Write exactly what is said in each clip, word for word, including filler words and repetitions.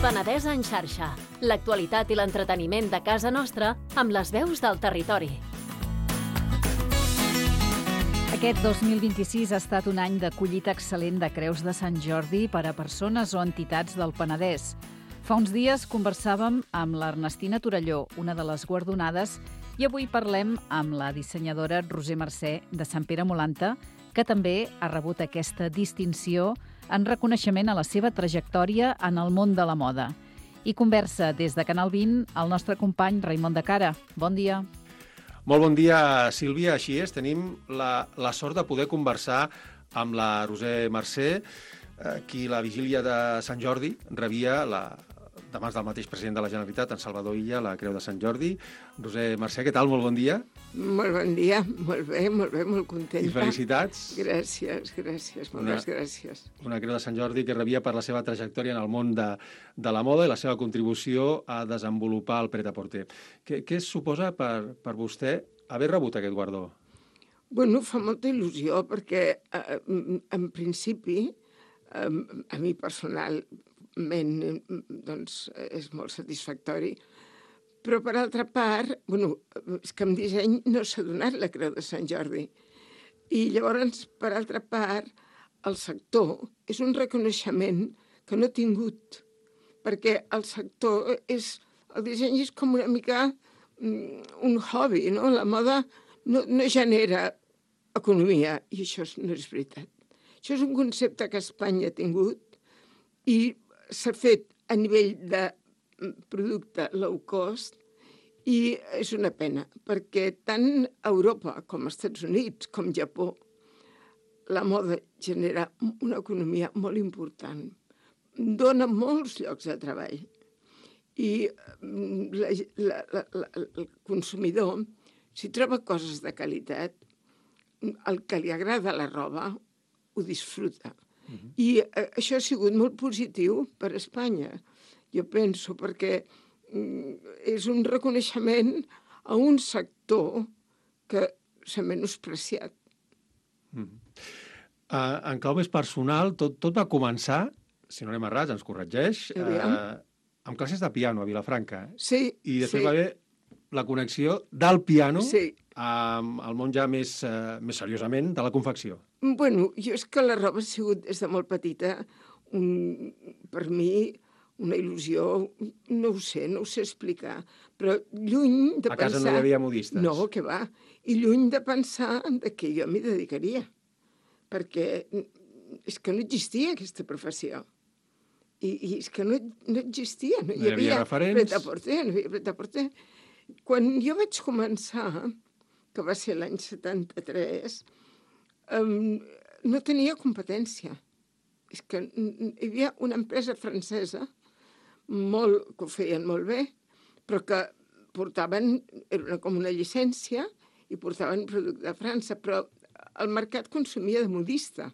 Penedès en xarxa. L'actualitat i l'entreteniment de casa nostra amb les veus del territori. Aquest dos mil vint-i-sis ha estat un any de collita excel·lent de creus de Sant Jordi per a persones o entitats del Penedès. Fa uns dies conversàvem amb l'Ernestina Torelló, una de les guardonades, i avui parlem amb la dissenyadora Roser Mercè de Sant Pere Molanta, que també ha rebut aquesta distinció en reconeixement a la seva trajectòria en el món de la moda. I conversa des de Canal vint el nostre company Raimon de Cara. Bon dia. Molt bon dia, Sílvia. Així és, tenim la, la sort de poder conversar amb la Roser Mercè, qui la vigília de Sant Jordi rebia la, de mans del mateix president de la Generalitat, en Salvador Illa, la Creu de Sant Jordi. Roser Mercè, què tal? Molt bon dia. Molt bon dia, molt bé, molt bé, molt contenta. I felicitats. Gràcies, gràcies, moltes una, gràcies. Una Creu de Sant Jordi que rebia per la seva trajectòria en el món de, de la moda i la seva contribució a desenvolupar el pret-a-porter. Què, què suposa per, per vostè haver rebut aquest guardó? Bueno, fa molta il·lusió perquè, eh, en principi, eh, a mi personalment, doncs, és molt satisfactori. Però, per altra part, bueno, és que en disseny no s'ha donat la Creu de Sant Jordi. I llavors, per altra part, el sector és un reconeixement que no ha tingut, perquè el sector és... El disseny és com una mica un hobby, no? La moda no, no genera economia, i això no és veritat. Això és un concepte que Espanya ha tingut i s'ha fet a nivell de producte low cost, i és una pena, perquè tant Europa com els Estats Units, com Japó, la moda genera una economia molt important. Dona molts llocs de treball. I la, la, la, la, el consumidor, si troba coses de qualitat, el que li agrada la roba, ho disfruta. Uh-huh. I això ha sigut molt positiu per a Espanya. Jo penso, perquè és un reconeixement a un sector que s'ha menospreciat. Mm. Uh, en clau més personal, tot, tot va començar, si no anem errats, ens corregeix, uh, amb classes de piano a Vilafranca. Sí, I després sí. va haver la connexió del piano sí. amb el món ja més, uh, més seriosament de la confecció. Bueno, jo és que la roba ha sigut des de molt petita, un, per mi, una il·lusió, no ho sé, no ho sé explicar, però lluny de pensar... A casa pensar... no hi havia modistes? No, què va. I lluny de pensar que jo m'hi dedicaria, perquè és que no existia aquesta professió. I, i és que no, no existia. No, no hi havia, havia referents? Pret-a-porter, no hi havia pret-a-porter. Quan jo vaig començar, que va ser l'any setanta-tres, um, no tenia competència. És que hi havia una empresa francesa molt, que ho feien molt bé, però que portaven, era una, com una llicència, i portaven producte de França, però el mercat consumia de modista.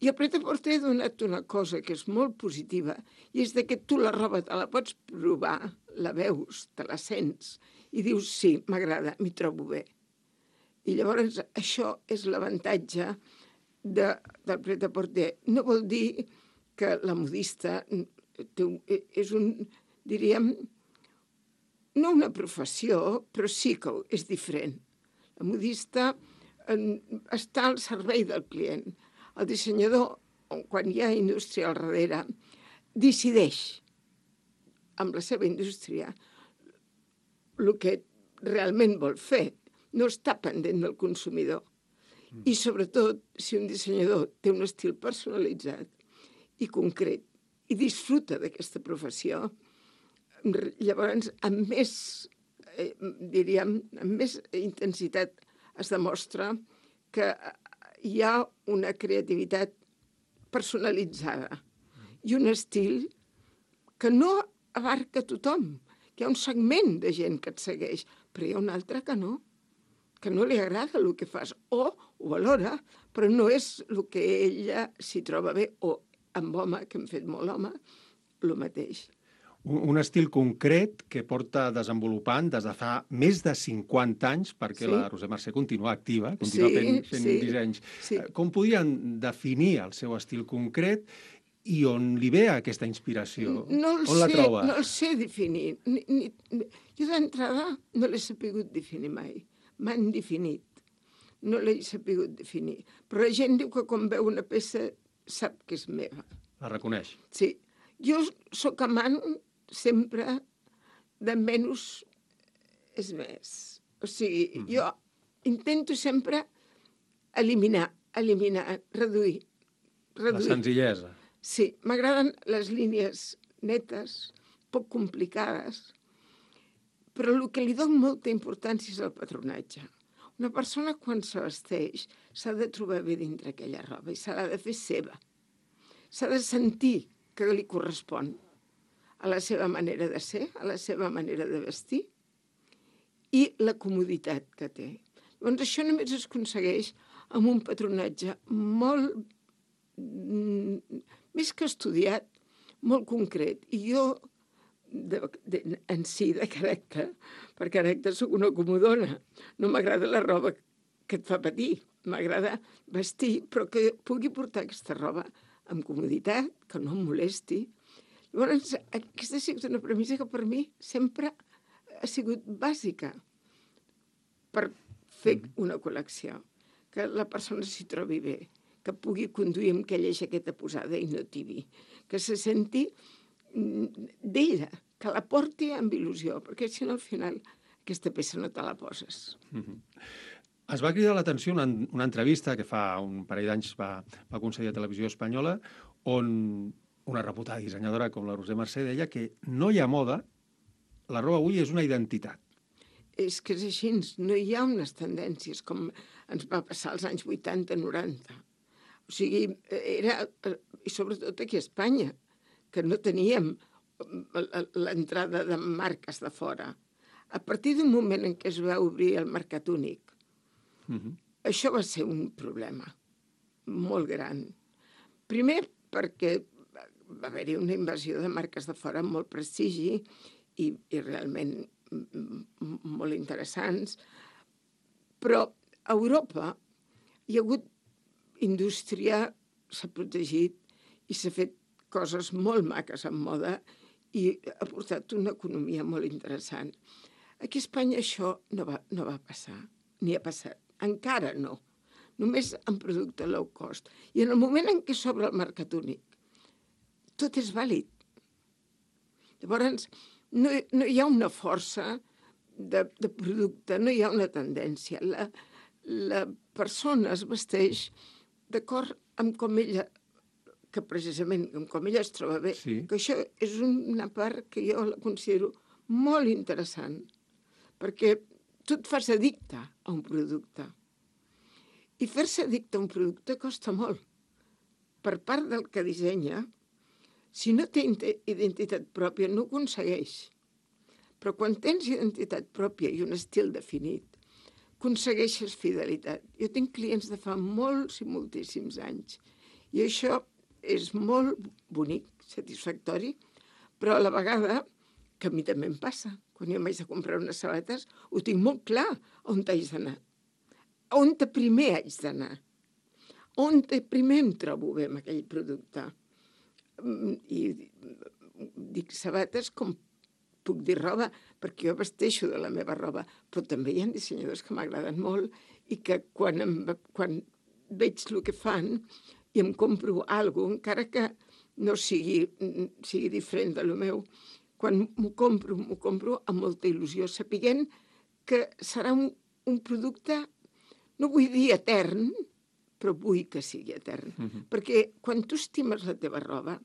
I el pret-a-porter ha donat una cosa que és molt positiva, i és que tu la roba te la pots provar, la veus, te la sents, i dius, sí, m'agrada, m'hi trobo bé. I llavors això és l'avantatge de, del pret-a-porter. No vol dir que la modista és un, diríem, no una professió, però sí que és diferent. La modista està al servei del client. El dissenyador, quan hi ha indústria al darrere, decideix amb la seva indústria el que realment vol fer. No està pendent del consumidor. I sobretot, si un dissenyador té un estil personalitzat i concret i disfruta d'aquesta professió, llavors amb més, eh, diríem, amb més intensitat es demostra que hi ha una creativitat personalitzada i un estil que no abarca tothom. Hi ha un segment de gent que et segueix, però hi ha un altre que no, que no li agrada el que fas, o ho valora, però no és el que ella s'hi troba bé, o amb home, que hem fet molt home, el mateix. Un, un estil concret que porta desenvolupant des de fa més de cinquanta anys, perquè sí. La Roser Mercè continua activa, continua sí, fent, fent sí, dissenys. Sí. Com podien definir el seu estil concret i on li ve aquesta inspiració? No el on la sé, troba? no el sé definir. Ni, ni, jo d'entrada no l'he sapigut definir mai. M'han definit. No l'he sapigut definir. Però la gent diu que quan veu una peça sap que és meva. La reconeix? Sí. Jo sóc amant sempre de menys és més. O sigui, mm. jo intento sempre eliminar, eliminar, reduir. reduir. La senzillesa. Sí, m'agraden les línies netes, poc complicades, però el que li dono molta importància és el patronatge. Una persona, quan se vesteix, s'ha de trobar bé dintre aquella roba i s'ha de fer seva. S'ha de sentir que li correspon a la seva manera de ser, a la seva manera de vestir i la comoditat que té. Llavors, això només es aconsegueix amb un patronatge molt més que estudiat, molt concret. I jo, de, de, en si, de caràcter, per caràcter soc una comodona. No m'agrada la roba que et fa patir. M'agrada vestir, però que pugui portar aquesta roba amb comoditat, que no em molesti. Llavors, aquesta ha sigut una premissa que per mi sempre ha sigut bàsica per fer una col·lecció. Que la persona s'hi trobi bé, que pugui conduir amb aquella jaqueta posada i no tibi, que se senti d'ella, que la porti amb il·lusió, perquè si no al final aquesta peça no te la poses. Mm-hmm. Es va cridar l'atenció una, una entrevista que fa un parell d'anys va, va concedir a Televisió Espanyola, on una reputada dissenyadora com la Roser Mercè deia que no hi ha moda, la roba avui és una identitat. És que és així, no hi ha unes tendències com ens va passar als anys vuitanta noranta. O sigui, era, i sobretot aquí a Espanya, que no teníem l'entrada de marques de fora. A partir d'un moment en què es va obrir el mercat únic, uh-huh. això va ser un problema molt gran. Primer perquè va haver-hi una invasió de marques de fora amb molt prestigi i, i realment molt interessants, però a Europa hi ha hagut indústria, s'ha protegit i s'ha fet coses molt maques en moda i ha portat una economia molt interessant. Aquí a Espanya això no va, no va passar, ni ha passat. Encara no. Només en producte low cost. I en el moment en què s'obre el mercat únic, tot és vàlid. Llavors, no, no hi ha una força de, de producte, no hi ha una tendència. La, la persona es vesteix d'acord amb com ella, que precisament amb com ella es troba bé, sí. Que això és una part que jo la considero molt interessant, perquè tu et fas addicte a un producte. I fer-se addicte a un producte costa molt. Per part del que dissenya, si no té identitat pròpia, no ho aconsegueix. Però quan tens identitat pròpia i un estil definit, aconsegueixes fidelitat. Jo tinc clients de fa molts i moltíssims anys i això és molt bonic, satisfactori, però a la vegada, que a mi també em passa, quan jo m'haig de comprar unes sabates, ho tinc molt clar on haig d'anar, on primer haig d'anar, on primer em trobo bé amb aquell producte. I dic sabates com puc dir roba, perquè jo vesteixo de la meva roba, però també hi ha dissenyadors que m'agraden molt i que quan, em, quan veig el que fan i em compro alguna cosa, encara que no sigui, sigui diferent de lo meu, quan m'ho compro, m'ho compro amb molta il·lusió, sapiguent que serà un, un producte, no vull dir etern, però vull que sigui etern. Uh-huh. Perquè quan tu estimes la teva roba,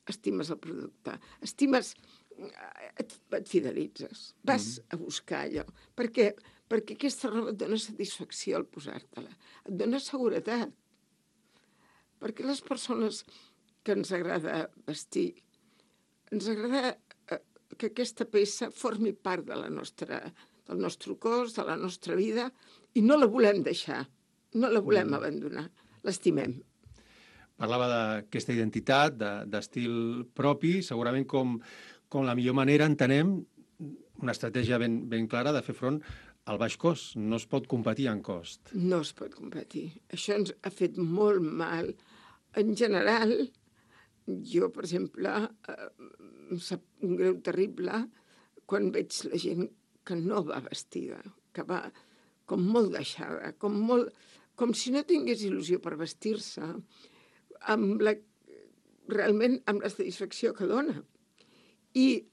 estimes el producte, estimes... Et, et fidelitzes, vas mm. a buscar allò, perquè, perquè aquesta roba et dona satisfacció al posar-te-la, et dona seguretat. Perquè les persones que ens agrada vestir, ens agrada que aquesta peça formi part de la nostra, del nostre cos, de la nostra vida, i no la volem deixar, no la volem mm. abandonar, l'estimem. Parlava d'aquesta identitat, de, d'estil propi, segurament com... com la millor manera entenem una estratègia ben, ben clara de fer front al baix cost. No es pot competir en cost. No es pot competir. Això ens ha fet molt mal. En general, jo, per exemple, eh, em sap un greu terrible quan veig la gent que no va vestida, que va com molt deixada, com, molt, com si no tingués il·lusió per vestir-se, amb la, realment amb la satisfacció que dona. I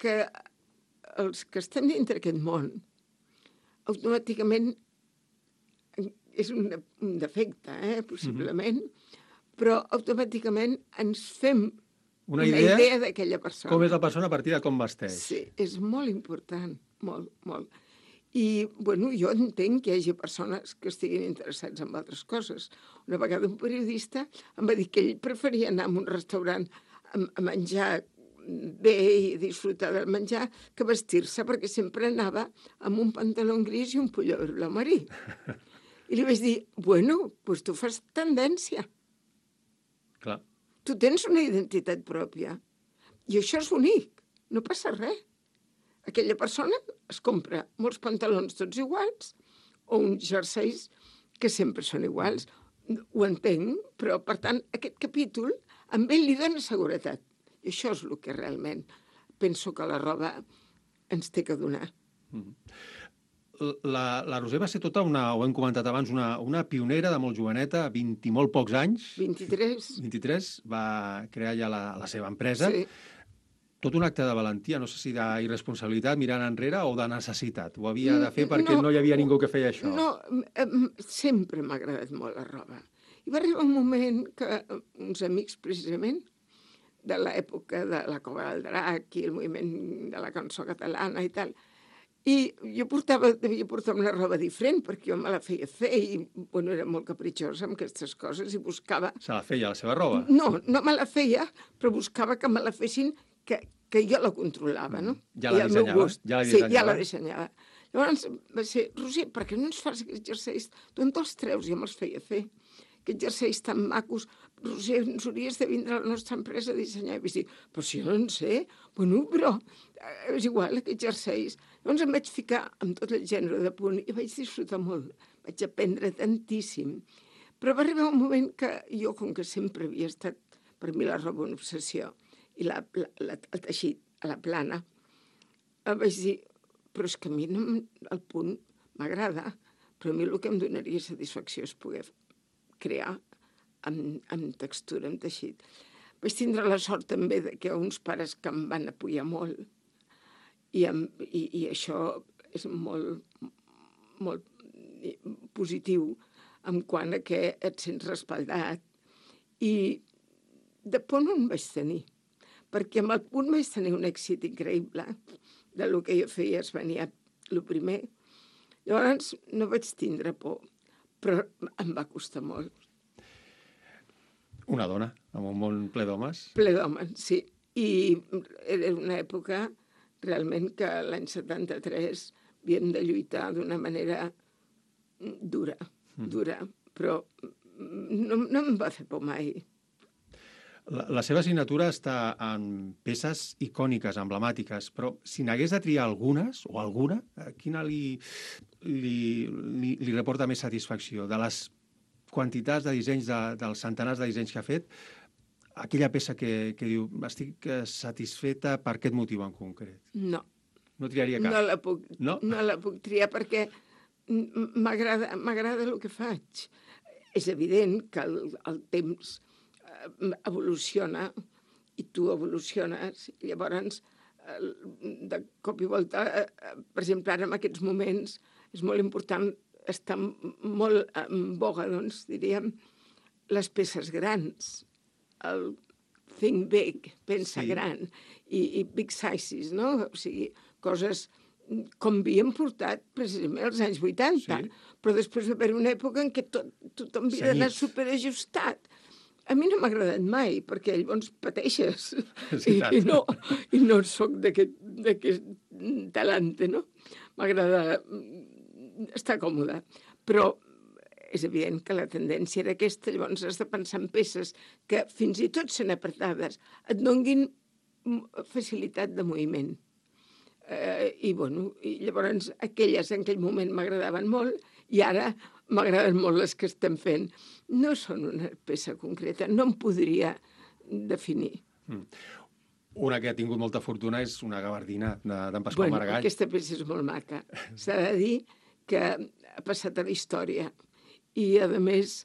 que els que estem dintre d'aquest món, automàticament, és un, un defecte, eh, possiblement, mm-hmm. però automàticament ens fem una, una idea, idea d'aquella persona. Com és la persona a partir de com vesteix. Sí, és molt important, molt, molt. I, bueno, jo entenc que hi hagi persones que estiguin interessats en altres coses. Una vegada un periodista em va dir que ell preferia anar a un restaurant a, a menjar bé i disfrutar del menjar que vestir-se, perquè sempre anava amb un pantaló gris i un pullover blau marí. I li vaig dir, bueno, doncs tu fas tendència. Clar. Tu tens una identitat pròpia. I això és únic, no passa res. Aquella persona es compra molts pantalons tots iguals o uns jerseis que sempre són iguals. Ho entenc, però, per tant, aquest capítol amb ell li dona seguretat. I això és el que realment penso que la roba ens té que donar. La, la Roser va ser tota una, ho hem comentat abans, una, una pionera de molt joveneta, vint i molt pocs anys. vint-i-tres. vint-i-tres, va crear ja la, la seva empresa. Sí. Tot un acte de valentia, no sé si d'irresponsabilitat mirant enrere o de necessitat. Ho havia de fer perquè no, no hi havia ningú que feia això. No, sempre m'ha agradat molt la roba. I va arribar un moment que uns amics, precisament, de l'època de la Cova del Drac i el moviment de la cançó catalana i tal, i jo portava, devia portar una roba diferent perquè jo me la feia fer i, bueno, era molt capritxosa amb aquestes coses i buscava... Se la feia, la seva roba? No, no me la feia, però buscava que me la fessin, que, que jo la controlava, no? Ja la dissenyava? Ja la dissenyava? Sí, ja la dissenyava. Llavors va ser, Roser, per què no ens fas aquests jerseis? Tu en te'ls treus, jo me'ls feia fer. Aquests jerseis tan macos, Roser, ens hauries de vindre a la nostra empresa a dissenyar. I vaig dir, però si jo no en sé, bueno, però és igual, aquests jerseis. Llavors em vaig ficar amb tot el gènere de punt i vaig disfrutar molt, vaig aprendre tantíssim. Però va arribar un moment que jo, com que sempre havia estat, per mi la roba una obsessió, i la, la, la, el teixit a la plana, vaig dir, però és que a mi no, el punt m'agrada, però a mi el que em donaria satisfacció és poder crear amb, amb textura, amb teixit. Vaig tindre la sort també de que uns pares que em van apoyar molt i, amb, i, i això és molt, molt positiu en quant a que et sents respaldat. I de punt on vaig tenir, perquè amb el punt vaig tenir un èxit increïble de lo que jo feia, es venia el primer. Llavors no vaig tindre por, però em va costar molt. Una dona, amb un món ple d'homes. Ple d'homes, sí. I era una època realment que l'any setanta-tres havíem de lluitar d'una manera dura, dura, però no, no em va fer por mai. La, la seva signatura està en peces icòniques, emblemàtiques, però si n'hagués de triar algunes, o alguna, quina li, li, li, li reporta més satisfacció? De les quantitats de dissenys, de, dels centenars de dissenys que ha fet, aquella peça que, que diu, estic satisfeta per aquest motiu en concret? No. No triaria cap? No la puc, no? No la puc triar perquè m'agrada m'agrada el que faig. És evident que el, el temps evoluciona i tu evoluciones. Llavors, de cop i volta, per exemple, ara en aquests moments és molt important, està molt en boga, doncs, diríem, les peces grans, el think big, pensa sí. gran, i, i big sizes, no? O sigui, coses com havíem portat precisament als anys vuitanta, sí. però després va haver una època en què tot, tothom havia d'anar superajustat. A mi no m'ha agradat mai, perquè llavors pateixes, sí, i, i, no, i no soc d'aquest talante, no? M'agrada estar còmoda, però és evident que la tendència era aquesta, llavors has de pensar en peces que fins i tot sent apretades et donguin facilitat de moviment. Eh, i, bueno, i llavors aquelles en aquell moment m'agradaven molt i ara m'agraden molt les que estem fent. No són una peça concreta, no em podria definir. Mm. Una que ha tingut molta fortuna és una gabardina d'en Pasqual bueno, Maragall. Aquesta peça és molt maca. S'ha de dir que ha passat a la història. I, a més,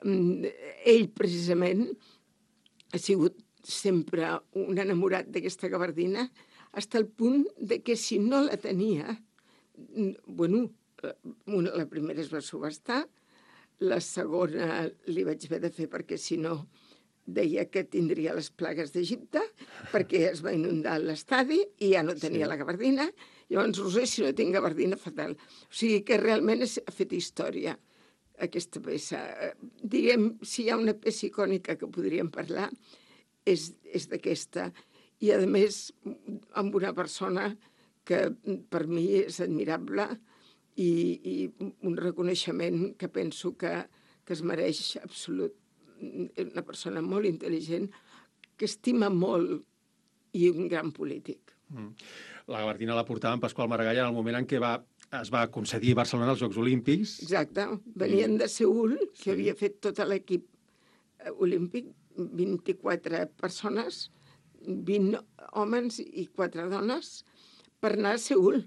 ell, precisament, ha sigut sempre un enamorat d'aquesta gabardina, fins al punt de que si no la tenia, bueno, una, la primera es va subhastar, la segona li vaig haver de fer perquè si no deia que tindria les plagues d'Egipte, perquè es va inundar l'estadi i ja no tenia sí. la gabardina. Llavors, Roser, si no tinc gabardina, fatal. O sigui que realment ha fet història aquesta peça. Diguem, si hi ha una peça icònica que podríem parlar, és, és d'aquesta. I, a més, amb una persona que per mi és admirable i, i un reconeixement que penso que, que es mereix absolut. Una persona molt intel·ligent, que estima molt i un gran polític. Mm. La gabardina la portava en Pasqual Maragall en el moment en què va, es va concedir a Barcelona els Jocs Olímpics. Exacte. Venien de Seül, que sí. havia fet tot l'equip olímpic, vint-i-quatre persones, vint homes i quatre dones, per anar a Seül.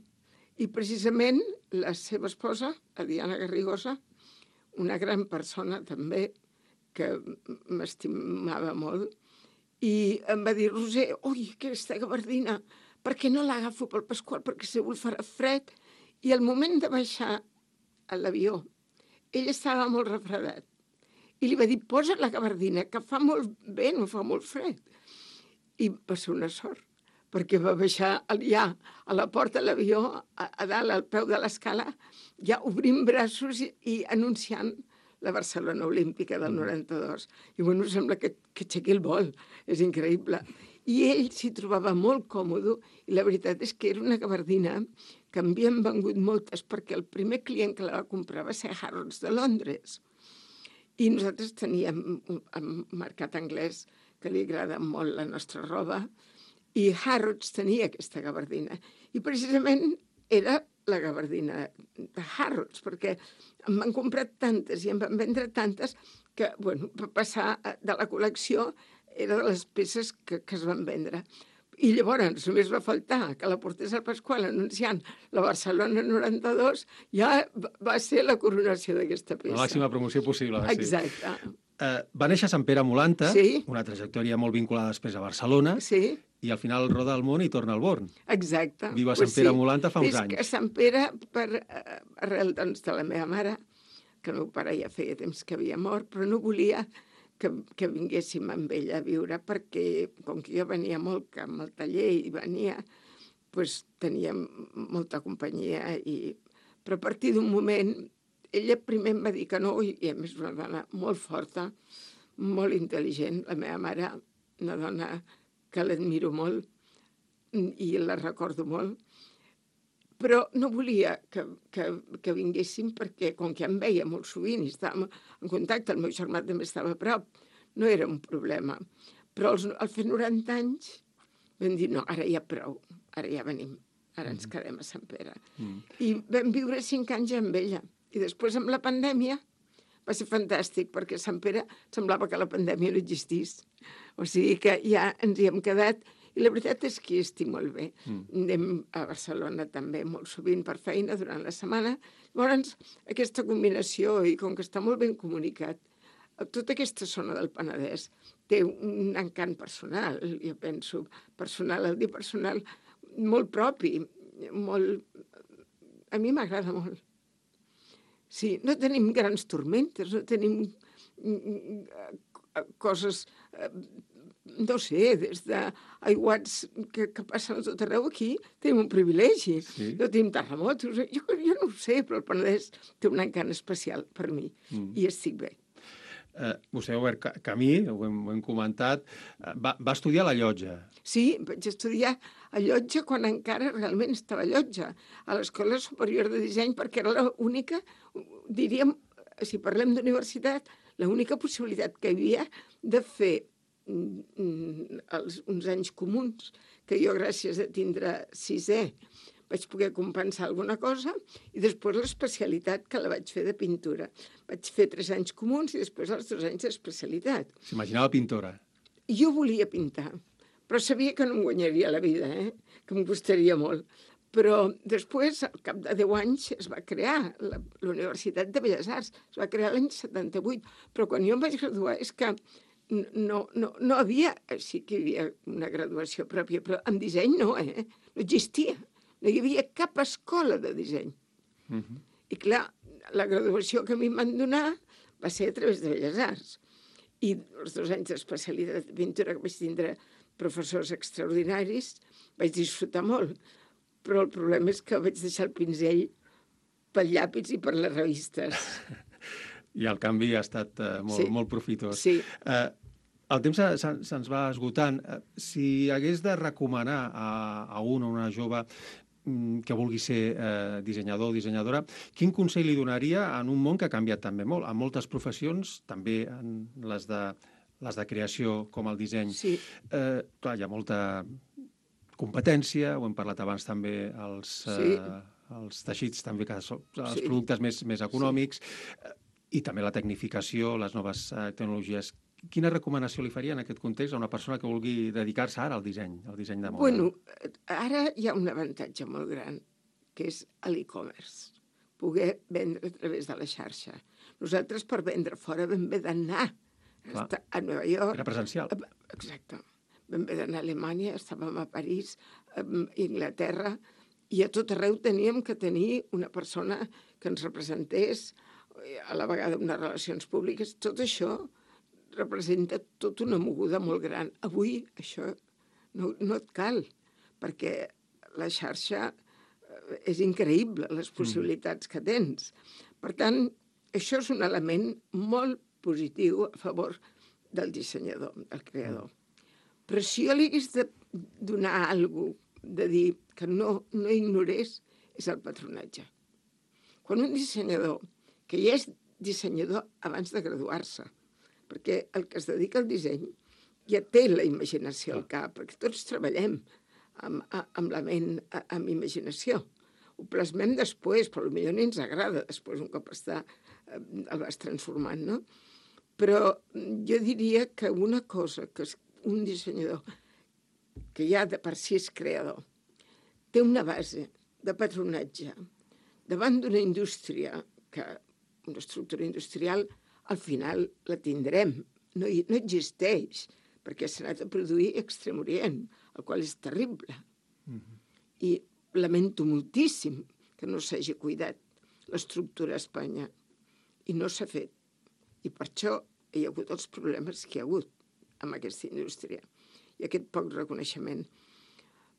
I precisament la seva esposa, la Diana Garrigosa, una gran persona també, que m'estimava molt, i em va dir, Roser, ui, aquesta gabardina, per què no l'agafo pel Pasqual? Perquè Seül farà fred. I al moment de baixar a l'avió, ell estava molt refredat. I li va dir, posa la gabardina, que fa molt bé, no fa molt fred. I va ser una sort, perquè va baixar ja a la porta de l'avió, a, a dalt, al peu de l'escala, ja obrint braços i, i anunciant la Barcelona Olímpica del noranta-dos. I, bueno, sembla que, que aixequi el vol. És increïble. I ell s'hi trobava molt còmode i la veritat és que era una gabardina que havien vengut moltes perquè el primer client que la va comprar va ser Harrods de Londres. I nosaltres teníem un mercat anglès que li agrada molt la nostra roba i Harrods tenia aquesta gabardina. I precisament era la gabardina de Harrods, perquè em van comprar tantes i em van vendre tantes que, bueno, per passar de la col·lecció era de les peces que, que es van vendre. I llavors només va faltar que la portés al Pasqual anunciant la Barcelona noranta-dos, ja va ser la coronació d'aquesta peça. La màxima promoció possible. Exacte. Sí. Uh, va néixer a Sant Pere Molanta, sí. Una trajectòria molt vinculada després a Barcelona, sí. I al final roda el món i torna al Born. Exacte. Viu a Sant pues Pere sí. Molanta fa uns és anys. És que a Sant Pere, per arrel doncs, de la meva mare, que el meu pare ja feia temps que havia mort, però no volia que, que vinguéssim amb ella a viure, perquè com que jo venia molt amb el taller i venia, doncs teníem molta companyia. I... Però a partir d'un moment, ella primer em va dir que no, i a més una dona molt forta, molt intel·ligent, la meva mare, una dona que l'admiro molt i la recordo molt, però no volia que, que, que vinguéssim perquè, com que em veia molt sovint i estàvem en contacte, el meu germà també estava a prop, no era un problema. Però als, al fer noranta anys vam dir, no, ara ja prou, ara ja venim, ara ens quedem a Sant Pere. Mm. I vam viure cinc anys amb ella. I després, amb la pandèmia, va ser fantàstic, perquè a Sant Pere semblava que la pandèmia no existís. O sigui que ja ens hi hem quedat, i la veritat és que hi estic molt bé. Mm. Anem a Barcelona també molt sovint per feina durant la setmana. Llavors, aquesta combinació, i com que està molt ben comunicat, tota aquesta zona del Penedès té un encant personal, jo penso, personal, el dir personal, molt propi, molt... A mi m'agrada molt. Sí, no tenim grans tormentes, no tenim coses, no sé, des d'aiguats que, que passen a tot arreu aquí, tenim un privilegi. Sí. No tenim terremotos, jo, jo no ho sé, però el Penedès té un encant especial per mi, mm. i estic bé. Uh, vostè ha obert camí, ho hem, ho hem comentat. Uh, va, va estudiar a la Llotja. Sí, vaig estudiar a Llotja quan encara realment estava a Llotja, a l'Escola Superior de Disseny, perquè era l'única, diríem, si parlem d'universitat, l'única possibilitat que hi havia de fer mm, els, uns anys comuns, que jo, gràcies a tindre sisè, vaig poder compensar alguna cosa, i després l'especialitat, que la vaig fer de pintura. Vaig fer tres anys comuns i després els dos anys d'especialitat. S'imaginava pintora? jo volia pintar, però sabia que no em guanyaria la vida, eh? Que em costaria molt. Però després, al cap de deu anys, es va crear la, la Universitat de Belles Arts. Es va crear l'any setanta-vuit. Però quan jo em vaig graduar és que no, no, no havia... Sí que hi havia una graduació pròpia, però en disseny no, eh? No existia. No hi havia cap escola de disseny. Uh-huh. I clar, la graduació que a mi em van donar va ser a través de Belles Arts. I els dos anys d'especialitat de pintura que vaig tindre professors extraordinaris, vaig disfrutar molt. Però el problema és que vaig deixar el pinzell pel llapis i per les revistes. I el canvi ha estat uh, molt, sí. molt profitós. Sí. Uh, el temps se, se'ns va esgotant. Uh, si hagués de recomanar a, a un o una jove um, que vulgui ser uh, dissenyador o dissenyadora, quin consell li donaria en un món que ha canviat també molt? En moltes professions, també en les de, les de creació com el disseny. Sí. Uh, clar, hi ha molta... competència, ho hem parlat abans també, els, sí. eh, els teixits també, que són els sí. productes més, més econòmics, sí. i també la tecnificació, les noves eh, tecnologies. Quina recomanació li faria en aquest context a una persona que vulgui dedicar-se ara al disseny, al disseny de moda? Bueno, ara hi ha un avantatge molt gran, que és l'e-commerce, poder vendre a través de la xarxa. Nosaltres, per vendre fora, vam haver d'anar a Nova York. Era presencial. Exacte. Vam haver d'anar a Alemanya, estàvem a París, a Inglaterra, i a tot arreu teníem que tenir una persona que ens representés, a la vegada unes relacions públiques. Tot això representa tota una moguda molt gran. Avui això no, no et cal, perquè la xarxa és increïble, les possibilitats que tens. Per tant, això és un element molt positiu a favor del dissenyador, del creador. Però si jo li hagués de donar alguna cosa, de dir que no, no ignorés, és el patronatge. Quan un dissenyador, que ja és dissenyador abans de graduar-se, perquè el que es dedica al disseny ja té la imaginació al cap, perquè tots treballem amb, amb la ment, amb imaginació. Ho plasmem després, però potser ni ens agrada després, un cop està, el vas transformant, no? Però jo diria que una cosa que es un dissenyador que ja de per si és creador, té una base de patronatge davant d'una indústria, que una estructura industrial, al final la tindrem. No, no existeix, perquè s'ha anat a produir a Extrem Orient, el qual és terrible. Mm-hmm. I lamento moltíssim que no s'hagi cuidat l'estructura a Espanya. I no s'ha fet. I per això hi ha hagut els problemes que hi ha hagut amb aquesta indústria i aquest poc reconeixement.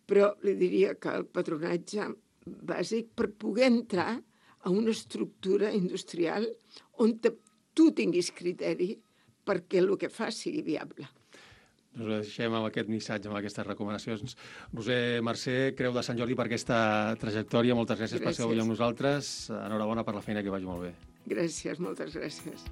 Però li diria que el patronatge bàsic per poder entrar a una estructura industrial on te, tu tinguis criteri perquè el que fas sigui viable. Doncs ho deixem amb aquest missatge, amb aquestes recomanacions. Roser Mercè, Creu de Sant Jordi per aquesta trajectòria. Moltes gràcies, gràcies per ser avui amb nosaltres. Enhorabona per la feina, que vagi molt bé. Gràcies, moltes gràcies.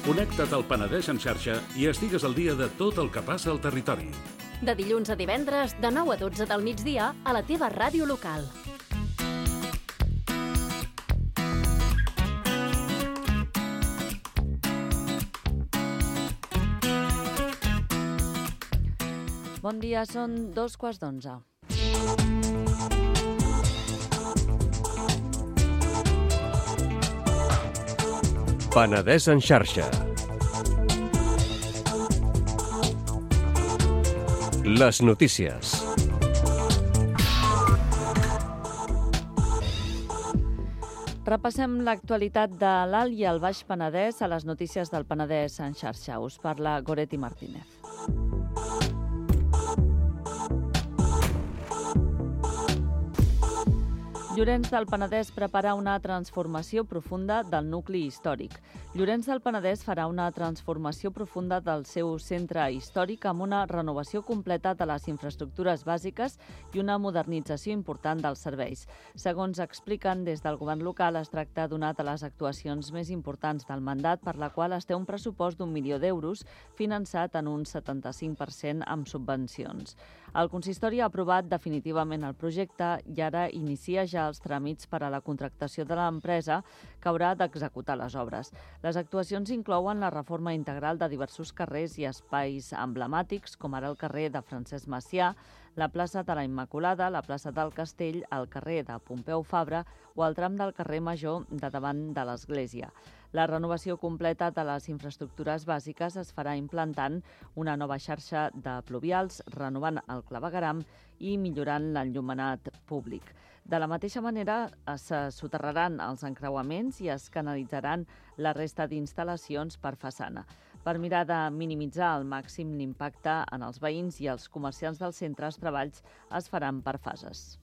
Connecta't al Penedès en xarxa i estigues al dia de tot el que passa al territori. De dilluns a divendres, de nou a dotze del migdia, a la teva ràdio local. Bon dia, són dos quarts d'onze. Penedès en xarxa. Les notícies. Repassem l'actualitat de l'Alt i el Baix Penedès a les notícies del Penedès en xarxa. Us parla Goretti Martínez. Llorenç del Penedès prepara una transformació profunda del nucli històric. Llorenç del Penedès farà una transformació profunda del seu centre històric amb una renovació completa de les infraestructures bàsiques i una modernització important dels serveis. Segons expliquen des del govern local, es tracta d'una de les actuacions més importants del mandat, per la qual es té un pressupost d'un milió d'euros, finançat en un setanta-cinc per cent amb subvencions. El consistori ha aprovat definitivament el projecte i ara inicia ja els tràmits per a la contractació de l'empresa que haurà d'executar les obres. Les actuacions inclouen la reforma integral de diversos carrers i espais emblemàtics, com ara el carrer de Francesc Macià, la plaça de la Immaculada, la plaça del Castell, el carrer de Pompeu Fabra o el tram del carrer Major de davant de l'església. La renovació completa de les infraestructures bàsiques es farà implantant una nova xarxa de pluvials, renovant el clavegueram i millorant l'enllumenat públic. De la mateixa manera, se soterraran els encreuaments i es canalitzaran la resta d'instal·lacions per façana. Per mirar de minimitzar al màxim l'impacte en els veïns i els comerciants del centre, els treballs es faran per fases.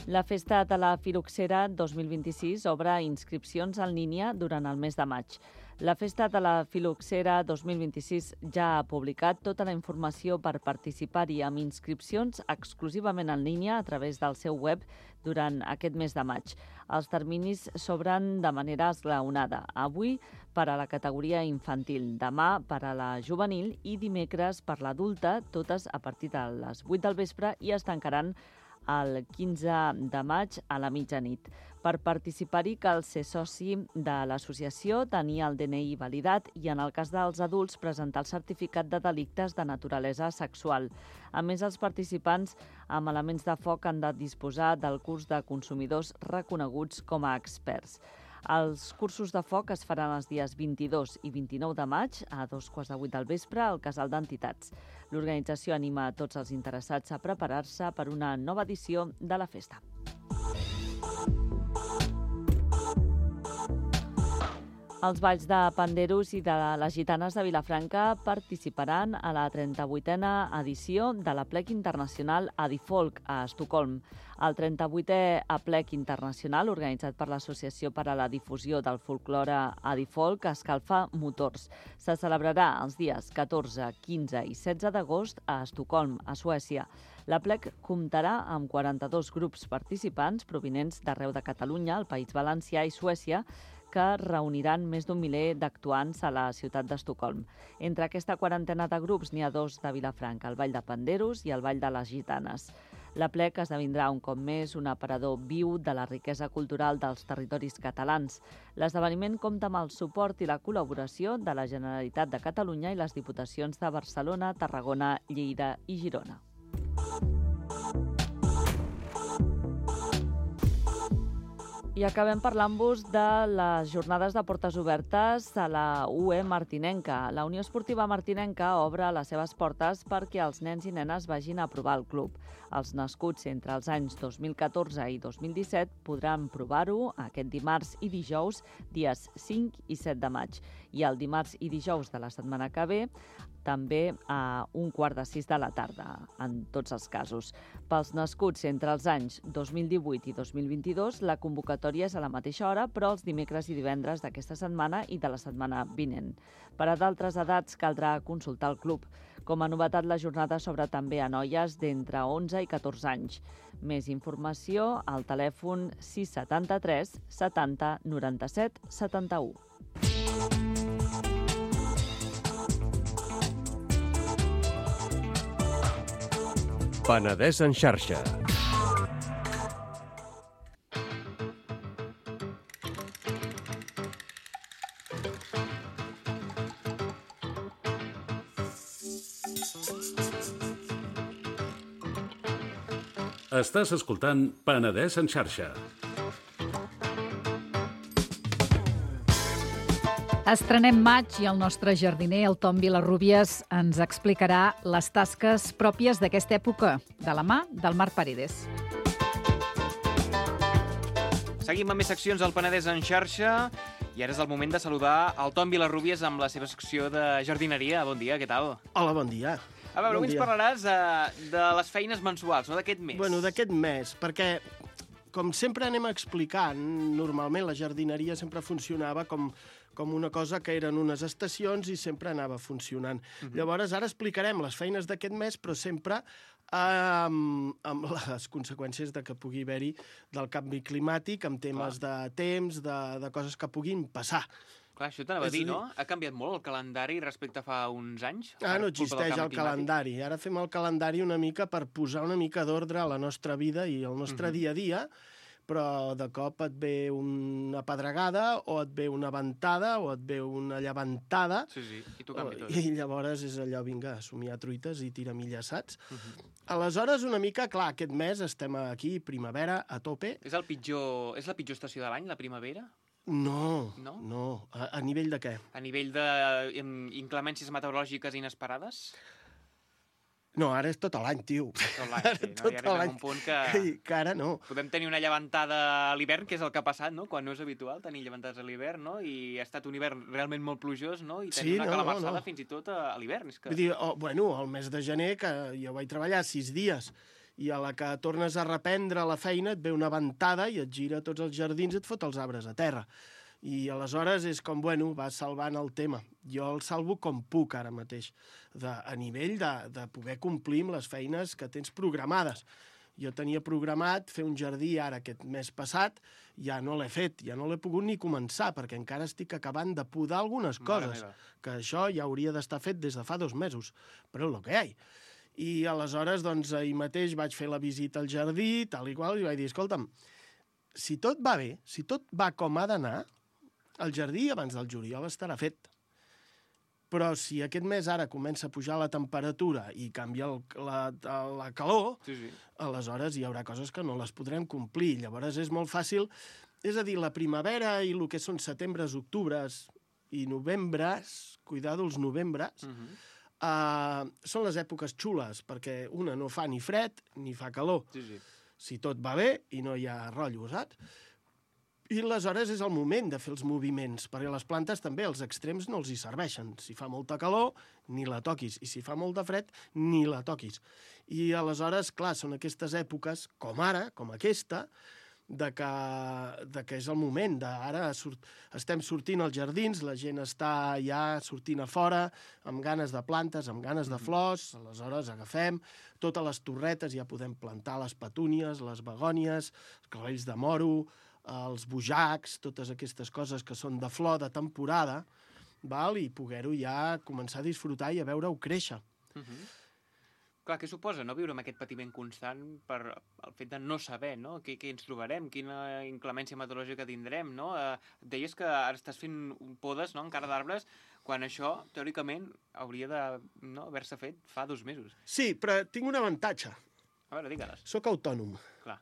La Festa de la Filoxera dos mil vint-i-sis obre inscripcions en línia durant el mes de maig. La Festa de la Filoxera dos mil vint-i-sis ja ha publicat tota la informació per participar-hi amb inscripcions exclusivament en línia a través del seu web durant aquest mes de maig. Els terminis s'obren de manera esglaonada. Avui per a la categoria infantil, demà per a la juvenil i dimecres per l'adulta, totes a partir de les vuit del vespre, i es tancaran el quinze de maig a la mitjanit. Per participar-hi cal ser soci de l'associació, tenir el D N I validat i, en el cas dels adults, presentar el certificat de delictes de naturalesa sexual. A més, els participants amb elements de foc han de disposar del curs de consumidors reconeguts com a experts. Els cursos de foc es faran els dies vint-i-dos i vint-i-nou de maig a dos quarts de vuit del vespre al Casal d'Entitats. L'organització anima a tots els interessats a preparar-se per una nova edició de la festa. Els balls de panderos i de les gitanes de Vilafranca participaran a la trenta-vuitena edició de l'Aplec Internacional Adifolk a Estocolm. El trenta-vuitè Aplec Internacional, organitzat per l'Associació per a la Difusió del Folklore Adifolk, escalfa motors. Se celebrarà els dies catorze, quinze i setze d'agost a Estocolm, a Suècia. L'Aplec comptarà amb quaranta-dos grups participants provinents d'arreu de Catalunya, el País Valencià i Suècia, que reuniran més d'un miler d'actuants a la ciutat d'Estocolm. Entre aquesta quarantena de grups n'hi ha dos de Vilafranca, el Ball de Panderos i el Ball de les Gitanes. L'Aplec esdevindrà un cop més un aparador viu de la riquesa cultural dels territoris catalans. L'esdeveniment compta amb el suport i la col·laboració de la Generalitat de Catalunya i les diputacions de Barcelona, Tarragona, Lleida i Girona. I acabem parlant-vos de les jornades de portes obertes a la U E Martinenca. La Unió Esportiva Martinenca obre les seves portes perquè els nens i nenes vagin a provar el club. Els nascuts entre els anys dos mil catorze i dos mil disset podran provar-ho aquest dimarts i dijous, dies cinc i set de maig. I el dimarts i dijous de la setmana que ve, també a un quart de sis de la tarda, en tots els casos. Pels nascuts entre els anys dos mil divuit i dos mil vint-i-dos, la convocatòria és a la mateixa hora, però els dimecres i divendres d'aquesta setmana i de la setmana vinent. Per a d'altres edats caldrà consultar el club. Com a novetat, la jornada s'obre també a noies d'entre onze i catorze anys. Més informació al telèfon sis setanta-tres setanta noranta-set setanta-u. Penedès en xarxa. Estàs escoltant Penedès en xarxa. Estrenem maig i el nostre jardiner, el Tom Vilarrubias, ens explicarà les tasques pròpies d'aquesta època, de la mà del Marc Paredes. Seguim amb més seccions al Penedès en xarxa i ara és el moment de saludar el Tom Vilarrubias amb la seva secció de jardineria. Bon dia, què tal? Hola, bon dia. A veure, Bon avui ens dia. parlaràs uh, de les feines mensuals, no d'aquest mes. Bueno, d'aquest mes, perquè, com sempre anem explicant, normalment la jardineria sempre funcionava com, com una cosa que eren unes estacions i sempre anava funcionant. Uh-huh. Llavors, ara explicarem les feines d'aquest mes, però sempre amb, amb les conseqüències de que pugui haver-hi del canvi climàtic, amb temes Clar. de temps, de, de coses que puguin passar. Clar, això t'anava a És dir, a dir- no? Ha canviat molt el calendari respecte a fa uns anys? Ah, no per culpa del existeix canvi el climàtic? calendari. Ara fem el calendari una mica per posar una mica d'ordre a la nostra vida i al nostre Mhm. dia a dia, però de cop et ve una pedregada o et ve una ventada o et ve una llevantada Sí, sí, i t'ho canvia tot. i llavors és allò, vinga, a somiar truites i tira milles, saps? Mhm. Aleshores, una mica, clar, aquest mes estem aquí, primavera, a tope. És, el pitjor, és la pitjor estació de l'any, la primavera? No, No? no. A, a nivell de què? A nivell de em, inclemències meteorològiques inesperades? No, ara és tot l'any, tio. Tot l'any, Ara sí, no? tot Ja arribem a l'any. un punt que... Que, que ara no. Podem tenir una llevantada a l'hivern, que és el que ha passat, no? Quan no és habitual tenir llevantades a l'hivern, no? I ha estat un hivern realment molt plujós, no? I tenir Sí, una no, no, calamarsada no. fins i tot a, a l'hivern. És que... Vull dir, oh, bueno, el mes de gener, que jo vaig treballar sis dies, i a la que tornes a reprendre la feina et ve una ventada i et gira tots els jardins i et fot els arbres a terra. I aleshores és com, bueno, vas salvant el tema. Jo el salvo com puc ara mateix, de, a nivell de, de poder complir amb les feines que tens programades. Jo tenia programat fer un jardí ara aquest mes passat, ja no l'he fet, ja no l'he pogut ni començar, perquè encara estic acabant de podar algunes Mare coses, meva. que això ja hauria d'estar fet des de fa dos mesos, però és el que hi ha. I aleshores, doncs, ahir mateix vaig fer la visita al jardí, tal i qual, i vaig dir, escolta'm, si tot va bé, si tot va com ha d'anar, el jardí abans del juliol estarà fet. Però si aquest mes ara comença a pujar la temperatura i canvia el, la, la calor, Sí, sí. aleshores hi haurà coses que no les podrem complir. Llavors és molt fàcil, és a dir, la primavera i el que són setembres, octubres i novembres, cuidado els novembres, Mhm. uh, són les èpoques xules, perquè una no fa ni fred ni fa calor. Sí, sí. Si tot va bé i no hi ha rotllo, saps? I aleshores és el moment de fer els moviments, perquè les plantes també els extrems no els hi serveixen. Si fa molta calor, ni la toquis, i si fa molt de fred, ni la toquis. I aleshores, clar, són aquestes èpoques, com ara, com aquesta, de que, de que és el moment, de ara surt, estem sortint als jardins, la gent està ja sortint a fora, amb ganes de plantes, amb ganes de flors, aleshores agafem totes les torretes, ja podem plantar les petúnies, les begònies, els clavells de moro, els bojacs, totes aquestes coses que són de flor, de temporada, val? I poder-ho ja començar a disfrutar i a veure-ho créixer. Mhm. Clar, què suposa, no?, viure amb aquest patiment constant per el fet de no saber, no?, què, què ens trobarem, quina inclemència meteorològica tindrem, no? Eh, deies que ara estàs fent podes, no?, encara d'arbres, quan això, teòricament, hauria de no, haver-se fet fa dos mesos. Sí, però tinc un avantatge. A veure, digue-les. Soc autònom. Clar.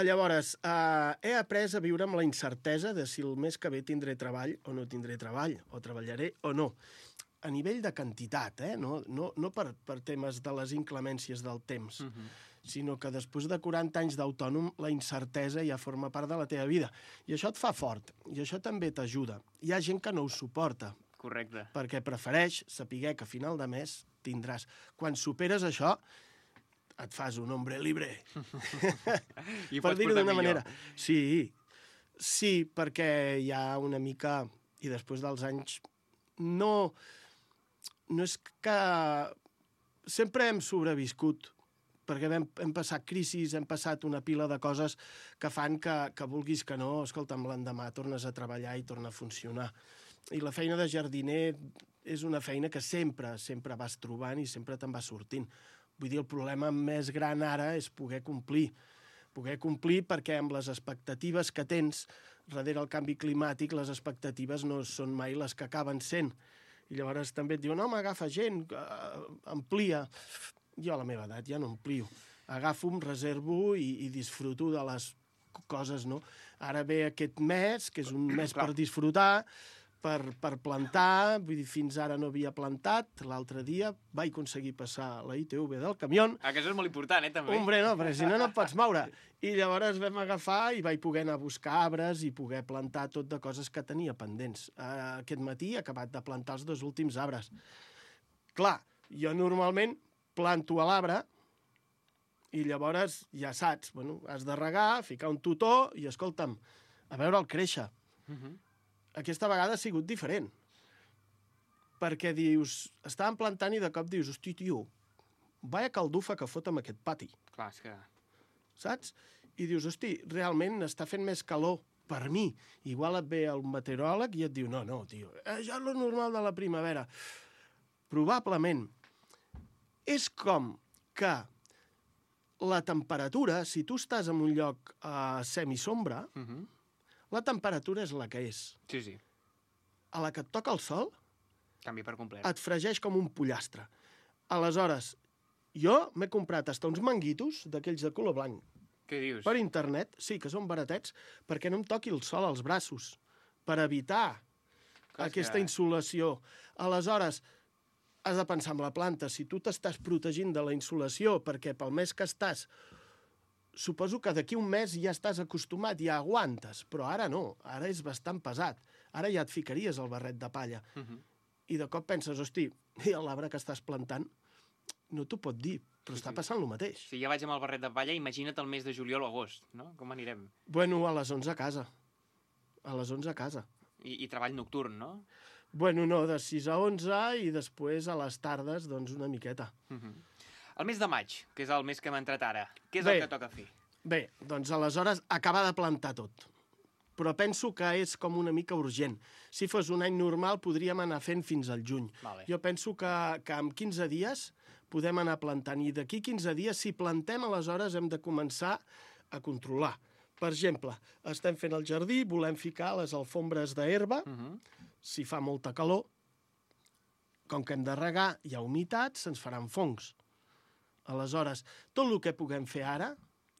Llavors, eh, he après a viure amb la incertesa de si el mes que ve tindré treball o no tindré treball, o treballaré o no. A nivell de quantitat, eh? no, no, no per, per temes de les inclemències del temps, Mhm. sinó que després de quaranta anys d'autònom, la incertesa ja forma part de la teva vida. I això et fa fort, i això també t'ajuda. Hi ha gent que no ho suporta, Correcte. perquè prefereix saber que a final de mes tindràs. Quan superes això, et fas un hombre libre. I ho Per pots dir-ho portar d'una millor. manera. Sí, sí, perquè hi ha una mica... I després dels anys... No, no és que... Sempre hem sobreviscut, perquè hem, hem passat crisis, hem passat una pila de coses que fan que, que vulguis que no, escolta'm, l'endemà tornes a treballar i torna a funcionar. I la feina de jardiner és una feina que sempre, sempre vas trobant i sempre te'n vas sortint. Vull dir, el problema més gran ara és poder complir. Poder complir perquè amb les expectatives que tens darrere el canvi climàtic, les expectatives no són mai les que acaben sent. I llavors també et diuen, home, agafa gent, uh, amplia. Jo a la meva edat ja no amplio. Agafo, em reservo i, i disfruto de les coses, no? Ara ve aquest mes, que és un mes per disfrutar, per, per plantar, vull dir, fins ara no havia plantat. L'altre dia vaig aconseguir passar la I T V del camió. Ah, que això és molt important, eh, també. Hombre, no, perquè si no, no et pots moure. I llavors vam agafar i vaig poder anar a buscar arbres i poder plantar tot de coses que tenia pendents. Uh, aquest matí he acabat de plantar els dos últims arbres. Clar, jo normalment planto a l'arbre i llavors ja saps, bueno, has de regar, ficar un tutor i, escolta'm, a veure'l créixer. Uh-huh. Aquesta vegada ha sigut diferent. Perquè dius, estàvem plantant i de cop dius, hosti, tio, vaya caldufa que fot amb aquest pati. Clar, és que... Saps? I dius, hosti, realment està fent més calor per mi. Igual et ve el meteoròleg i et diu, no, no, tio, eh, ja és lo normal de la primavera. Probablement és com que la temperatura, si tu estàs en un lloc a semisombra, Uh-huh. la temperatura és la que és. Sí, sí, A la que et toca el sol, canvia per complet. et fregeix com un pollastre. Aleshores, jo m'he comprat hasta uns manguitos d'aquells de color blanc Què dius? per internet, sí, que són baratets, perquè no em toqui el sol als braços, per evitar Clar, és aquesta que- insolació. Aleshores, has de pensar en la planta. Si tu t'estàs protegint de la insolació perquè pel mes que estàs, suposo que d'aquí un mes ja estàs acostumat, ja aguantes, però ara no, ara és bastant pesat. Ara ja et ficaries el barret de palla. Uh-huh. I de cop penses, hosti, i l'arbre que estàs plantant no t'ho pot dir, però Sí, està sí. passant el mateix. Si ja vaig amb el barret de palla, imagina't el mes de juliol o agost, no? Com anirem? Bueno, a les onze a casa. A les onze a casa. I, i treball nocturn, no? Bueno, no, de sis a onze i després a les tardes, doncs, una miqueta. Uh-huh. El mes de maig, que és el mes que hem entrat ara, què és Bé. el que toca fer? Bé, doncs aleshores acabar de plantar tot. Però penso que és com una mica urgent. Si fos un any normal, podríem anar fent fins al juny. Vale. Jo penso que, que en quinze dies podem anar plantant. I d'aquí quinze dies, si plantem, aleshores hem de començar a controlar. Per exemple, estem fent el jardí, volem ficar les alfombres d'herba, Uh-huh. si fa molta calor, com que hem de regar, hi ha humitat, se'ns faran fongs. Aleshores, tot el que puguem fer ara,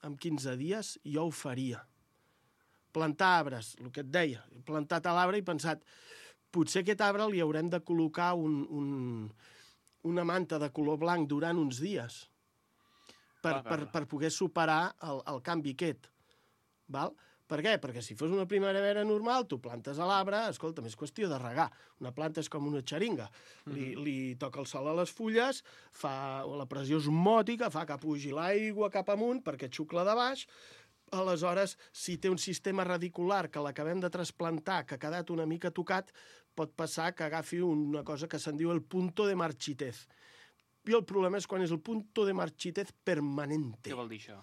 en quinze dies, jo ho faria. Plantar arbres, el que et deia. He plantat a l'arbre i he pensat, potser aquest arbre li haurem de col·locar un, un, una manta de color blanc durant uns dies per, Clar, clar, per, clar. per poder superar el, el canvi aquest. Val? Per què? Perquè si fos una primavera normal, tu plantes a l'arbre, escolta, és qüestió de regar. Una planta és com una xeringa. Li, li toca el sol a les fulles, fa, la pressió osmòtica fa que pugi l'aigua cap amunt perquè xucla de baix. Aleshores, si té un sistema radicular que l'acabem de trasplantar, que ha quedat una mica tocat, pot passar que agafi una cosa que se'n diu el punto de marchitez. I el problema és quan és el punto de marchitez permanente. Què vol dir això?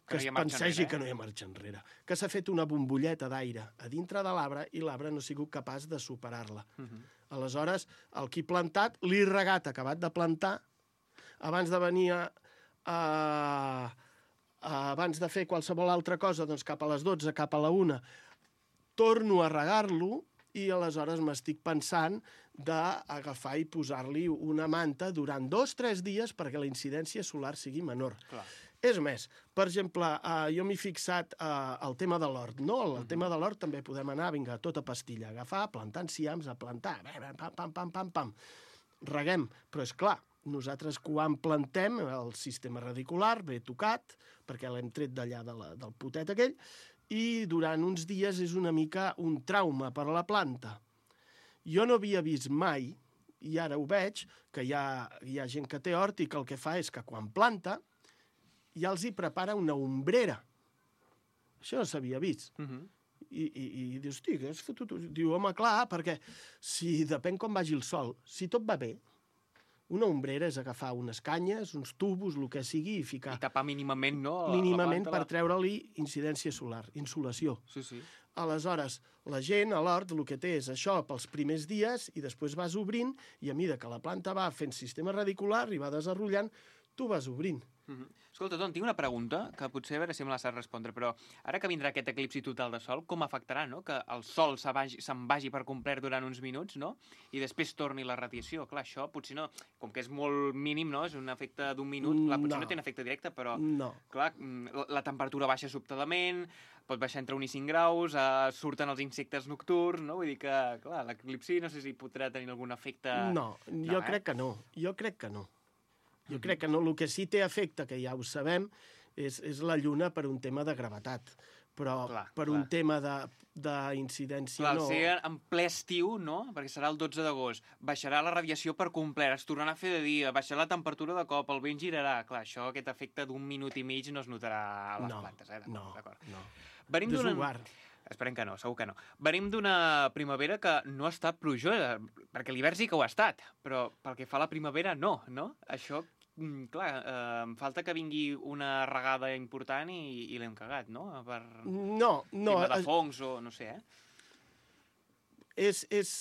Que no es hi ha marxa pensegi enrere, que no hi ha marxa enrere. Que s'ha fet una bombolleta d'aire a dintre de l'arbre i l'arbre no ha sigut capaç de superar-la. Uh-huh. Aleshores, el que he plantat, l'he regat, acabat de plantar, abans de venir a, a, a, abans de fer qualsevol altra cosa, doncs cap a les dotze, cap a la una, torno a regar-lo i aleshores m'estic pensant d'agafar i posar-li una manta durant dos o tres dies perquè la incidència solar sigui menor. Clar. És més, per exemple, eh, jo m'he fixat eh, el tema de l'hort, no? El Mhm. tema de l'hort també podem anar, vinga, a tota pastilla, agafar, plantar enciams, a plantar, pam, pam, pam, pam, pam. Reguem, però és clar, nosaltres quan plantem, el sistema radicular ve tocat, perquè l'hem tret d'allà de la, del potet aquell, i durant uns dies és una mica un trauma per a la planta. Jo no havia vist mai, i ara ho veig, que hi ha, hi ha gent que té hort i que el que fa és que quan planta ja els hi prepara una ombrera. Això no s'havia vist. Uh-huh. I, i, i dius, hosti, què has fotut? Diu, home, clar, perquè si depèn com vagi el sol, si tot va bé, una ombrera és agafar unes canyes, uns tubos, el que sigui, i ficar I tapar mínimament, no? la- mínimament la per planta, treure-li incidència solar, insolació. la... Sí, sí. Aleshores, la gent a l'hort el que té és això pels primers dies i després vas obrint i a mida que la planta va fent sistema radicular i va desenrotllant, tu vas obrint. Uh-huh. Escolta, Ton, tinc una pregunta que potser a veure si me la saps respondre, però ara que vindrà aquest eclipsi total de sol, com afectarà, no?, que el sol se'n vagi, se'n vagi per complet durant uns minuts, no?, i després torni la radiació. Clar, això potser no... Com que és molt mínim, no?, és un efecte d'un minut, clar, potser No. no té un efecte directe, però... No. Clar, mm, la, la temperatura baixa sobtadament, pot baixar entre un i cinc graus, eh, surten els insectes nocturns, no? Vull dir que, clar, l'eclipsi no sé si podrà tenir algun efecte... No, jo No, eh? crec que no. Jo crec que no. Jo crec que no. El que sí té efecte, que ja ho sabem, és, és la Lluna per un tema de gravetat. però clar, per clar. un tema d'incidència Clar, no... al ser en ple estiu, no? Perquè serà el dotze d'agost, baixarà la radiació per complet, es tornarà a fer de dia, baixarà la temperatura de cop, el vent girarà. Clar, això, aquest efecte d'un minut i mig no es notarà a les no, plantes, eh? No, d'acord. no. Venim d'una... Desuguard. Esperem que no, segur que no. Venim d'una primavera que no ha estat plujosa, perquè l'hivern sí que ho ha estat, però pel que fa a la primavera no, no? Això, clar, eh, em falta que vingui una regada important i, i l'hem cagat, no? Per no, no. tema de fongs o no sé, eh? És, és...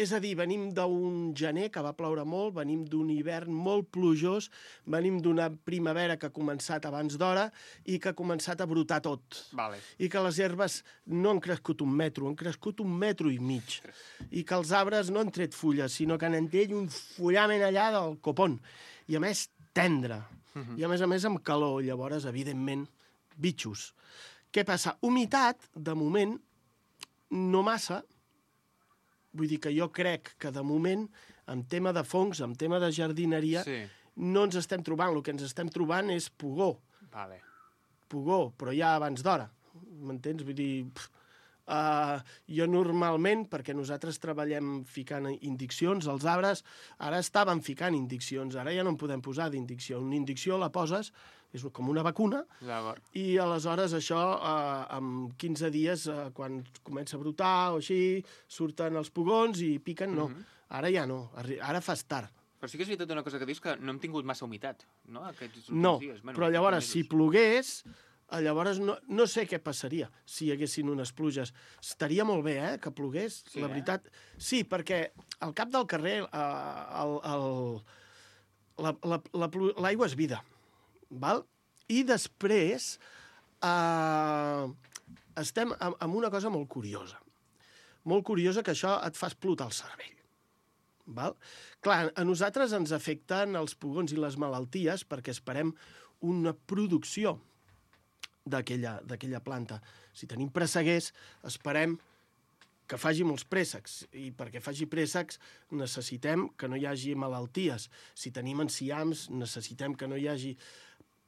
És a dir, venim d'un gener que va ploure molt, venim d'un hivern molt plujós, venim d'una primavera que ha començat abans d'hora i que ha començat a brotar tot. Vale. I que les herbes no han crescut un metro, han crescut un metro i mig. I que els arbres no han tret fulles, sinó que han tret un fullament allà del copón. I a més, tendre. Uh-huh. I a més a més amb calor. Llavors, evidentment, bitxos. Què passa? Humitat, de moment, no massa. Vull dir que jo crec que, de moment, en tema de fongs, en tema de jardineria, sí. no ens estem trobant. El que ens estem trobant és pugó. Vale. Pugó, però ja abans d'hora. M'entens? Vull dir... Uh, jo normalment, perquè nosaltres treballem ficant indiccions als arbres, ara estàvem ficant indiccions, ara ja no en podem posar d'indicció. Una indicció la poses, és com una vacuna, i aleshores això, uh, en quinze dies, uh, quan comença a brotar o així, surten els pugons i piquen, no. Mm-hmm. Ara ja no, ara fas tard. Però sí que és veritat una cosa que dius, que no hem tingut massa humitat, no? Aquests no, dies. Bueno, però llavors, si plogués... Llavors no, no sé què passaria si hi haguessin unes pluges. Estaria molt bé, eh, que plogués, sí, la veritat. Eh? Sí, perquè al cap del carrer eh, el, el, la, la, la, l'aigua és vida, val? I després eh, estem amb, amb una cosa molt curiosa. Molt curiosa, que això et fa explotar el cervell. Val? Clar, a nosaltres ens afecten els pugons i les malalties perquè esperem una producció d'aquella planta. Si tenim presseguers, esperem que faci molts préssecs, i perquè faci préssecs necessitem que no hi hagi malalties. Si tenim enciams, necessitem que no hi hagi...